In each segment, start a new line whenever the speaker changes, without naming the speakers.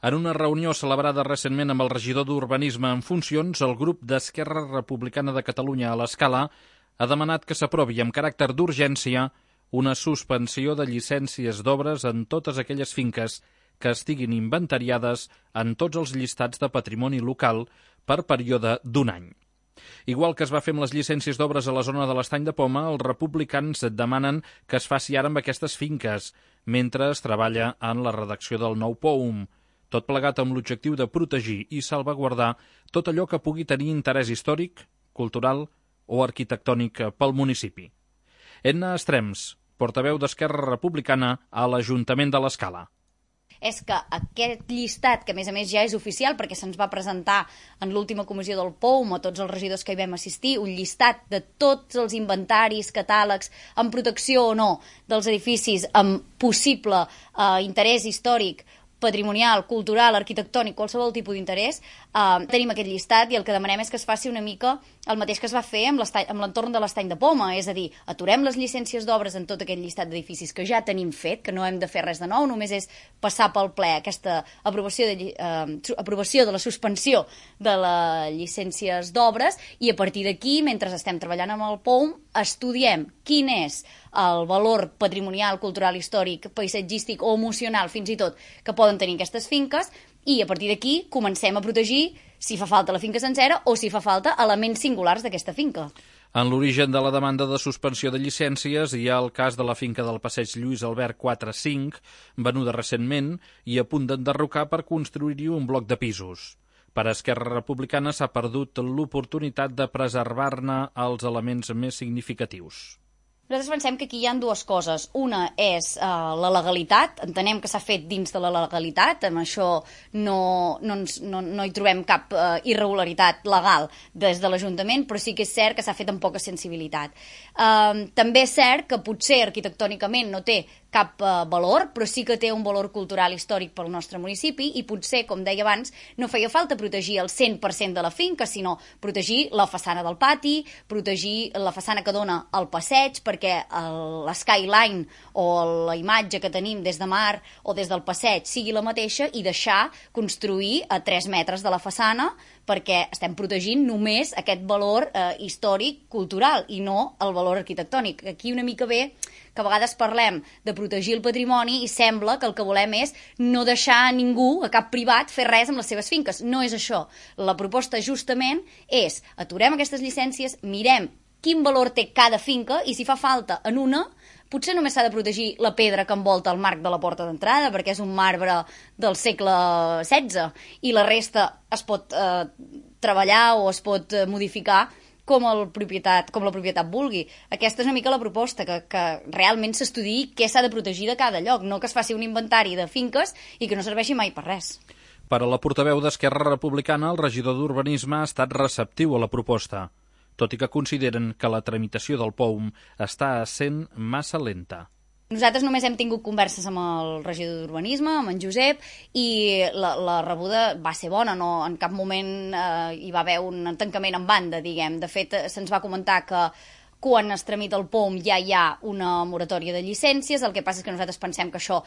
En una reunió celebrada recentment amb el regidor d'Urbanisme en funcions, el grup d'Esquerra Republicana de Catalunya a l'Escala ha demanat que s'aprovi amb caràcter d'urgència una suspensió de llicències d'obres en totes aquelles finques que estiguin inventariades en tots els llistats de patrimoni local per període d'un any. Igual que es va fer amb les llicències d'obres a la zona de l'Estany de Poma, els republicans demanen que es faci ara amb aquestes finques, mentre es treballa en la redacció del nou POUM, tot plegat amb l'objectiu de protegir i salvaguardar tot allò que pugui tenir interès històric, cultural o arquitectònic pel municipi. Edna Estrems, portaveu d'Esquerra Republicana a l'Ajuntament de l'Escala.
És que aquest llistat, que a més ja és oficial perquè se'ns va presentar en l'última comissió del POUM a tots els regidors que hi vam assistir, un llistat de tots els inventaris, catàlegs, amb protecció o no dels edificis amb possible interès històric, patrimonial, cultural, arquitectònic, qualsevol tipus d'interès, tenim aquest llistat i el que demanem és que es faci una mica el mateix que es va fer amb l'entorn de l'Estany de Poma, és a dir, aturem les llicències d'obres en tot aquest llistat d'edificis que ja tenim fet, que no hem de fer res de nou, només és passar pel ple aquesta aprovació de la suspensió de les llicències d'obres i a partir d'aquí, mentre estem treballant amb el POUM, estudiem quin és el valor patrimonial, cultural, històric, paisatgístic o emocional, fins i tot, que poden tenir aquestes finques, i a partir d'aquí comencem a protegir, si fa falta la finca sencera o si fa falta elements singulars d'aquesta finca.
En l'origen de la demanda de suspensió de llicències hi ha el cas de la finca del Passeig Lluís Albert 4-5, venuda recentment i a punt d'enderrocar per construir-hi un bloc de pisos. Per Esquerra Republicana s'ha perdut l'oportunitat de preservar-ne els elements més significatius.
Nosaltres pensem que aquí hi ha dues coses. Una és la legalitat, entenem que s'ha fet dins de la legalitat, amb això no hi trobem cap irregularitat legal des de l'Ajuntament, però sí que és cert que s'ha fet amb poca sensibilitat. També és cert que potser arquitectònicament no té cap valor, però sí que té un valor cultural històric pel nostre municipi i potser, com deia abans, no feia falta protegir el 100% de la finca, sinó protegir la façana del pati, protegir la façana que dona al passeig, perquè l'skyline o la imatge que tenim des de mar o des del passeig sigui la mateixa i deixar construir a 3 metres de la façana perquè estem protegint només aquest valor històric, cultural i no el valor arquitectònic. Aquí una mica ve que a vegades parlem de protegir el patrimoni i sembla que el que volem és no deixar a ningú, a cap privat, fer res amb les seves finques. No és això. La proposta justament és aturem aquestes llicències, mirem quin valor té cada finca i si fa falta en una, potser només s'ha de protegir la pedra que envolta el marc de la porta d'entrada perquè és un marbre del segle XVI i la resta es pot treballar o es pot modificar com la propietat vulgui. Aquesta és una mica la proposta, que realment s'estudiï què s'ha de protegir de cada lloc, no que es faci un inventari de finques i que no serveixi mai per res.
Per a la portaveu d'Esquerra Republicana, el regidor d'Urbanisme ha estat receptiu a la proposta, tot i que consideren que la tramitació del POUM està sent massa lenta.
Nosaltres només hem tingut converses amb el regidor d'Urbanisme, amb en Josep, i la rebuda va ser bona, no, en cap moment hi va haver un tancament en banda, diguem. De fet, se'ns va comentar que quan es tramita el POUM ja hi ha una moratòria de llicències, el que passa és que nosaltres pensem que això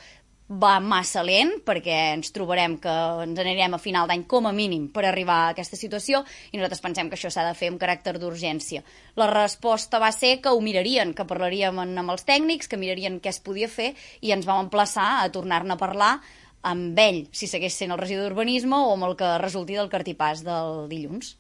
va massa lent perquè ens trobarem que ens anirem a final d'any com a mínim per arribar a aquesta situació i nosaltres pensem que això s'ha de fer amb caràcter d'urgència. La resposta va ser que ho mirarien, que parlaríem amb els tècnics, que mirarien què es podia fer i ens vam emplaçar a tornar-ne a parlar amb ell, si segueix sent el regidor d'Urbanisme o amb el que resulti del cartipàs del dilluns.